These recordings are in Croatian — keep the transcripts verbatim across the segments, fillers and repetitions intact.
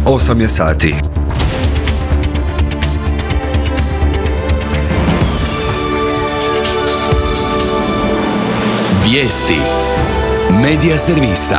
osam je sati. Vijesti Medija servisa.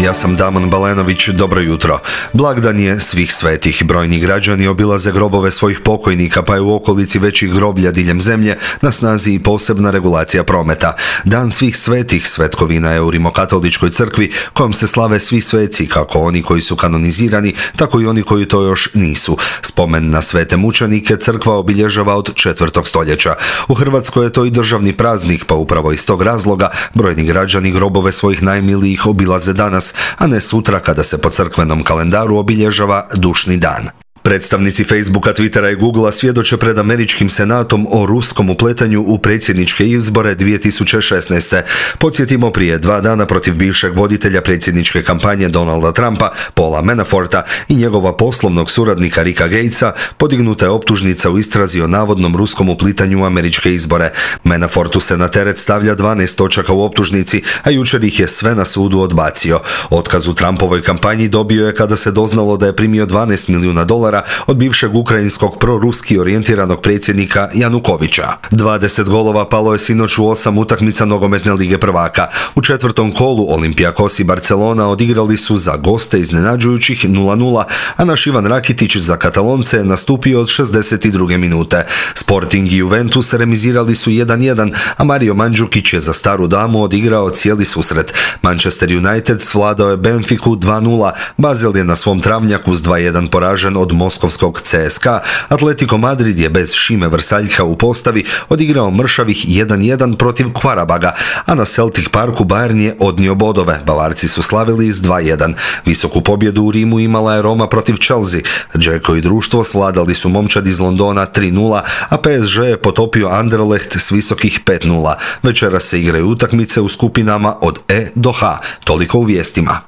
Ja sam Damon Balenović, dobro jutro. Blagdan je svih svetih. Brojni građani obilaze grobove svojih pokojnika, pa je u okolici većih groblja diljem zemlje na snazi i posebna regulacija prometa. Dan svih svetih svetkovina je u Rimokatoličkoj crkvi, kojom se slave svi sveci, kako oni koji su kanonizirani, tako i oni koji to još nisu. Spomen na svete mučenike crkva obilježava od četvrtog stoljeća. U Hrvatskoj je to i državni praznik, pa upravo iz tog razloga brojni građani grobove svojih najmilijih obilaze danas, a ne sutra kada se po crkvenom kalendaru obilježava dušni dan. Predstavnici Facebooka, Twittera i Googlea svjedoče pred američkim senatom o ruskom upletanju u predsjedničke izbore dvije tisuće šesnaeste. Podsjetimo, prije dva dana protiv bivšeg voditelja predsjedničke kampanje Donalda Trumpa, Paula Manaforta, i njegova poslovnog suradnika Ricka Gatesa podignuta je optužnica u istrazi o navodnom ruskom uplitanju u američke izbore. Manafortu se na teret stavlja dvanaest točaka u optužnici, a jučer ih je sve na sudu odbacio. Otkaz u Trumpovoj kampanji dobio je kada se doznalo da je primio dvanaest milijuna dolara od bivšeg ukrajinskog proruski orijentiranog predsjednika Janukovića. dvadeset golova palo je sinoć u osam utakmica nogometne lige prvaka. U četvrtom kolu Olympiakos i Barcelona odigrali su za goste iznenađujućih nula nula, a naš Ivan Rakitić za Katalonce je nastupio od šezdeset druge minute. Sporting i Juventus remizirali su jedan jedan, a Mario Mandžukić je za staru damu odigrao cijeli susret. Manchester United svladao je Benfiku dva nula, Basel je na svom travnjaku s dva jedan poražen od moskovskog C S K A, Atletico Madrid je bez Šime Vrsaljka u postavi odigrao mršavih jedan jedan protiv Kvarabaga, a na Celtic Parku Bayern je odnio bodove. Bavarci su slavili s dva jedan. Visoku pobjedu u Rimu imala je Roma protiv Chelsea. Džeko i društvo svladali su momčad iz Londona tri nula, a P S G je potopio Anderlecht s visokih pet nula. Večeras se igraju utakmice u skupinama od E do H. Toliko u vijestima.